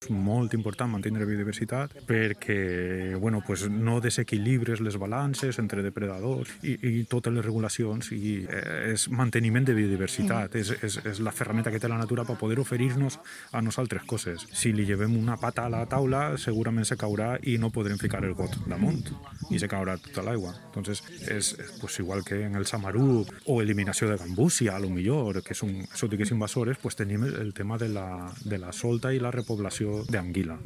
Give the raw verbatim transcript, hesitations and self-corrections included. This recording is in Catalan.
És molt important mantenir biodiversitat perquè bueno, pues no desequilibres les balances entre depredadors i, i totes les regulacions i eh, és manteniment de biodiversitat, és, és, és la ferramenta que té la natura per poder oferir-nos a nosaltres coses. Si li llevem una pata a la taula, segurament se caurà i no podrem ficar el got damunt i se caurà tota l'aigua. Entonces, és pues, igual que en el Samaruc o eliminació de gambúsia, a lo millor, que són exòtiques invasores, pues tenim el tema de la, de la solta i la repoblació d'anguila.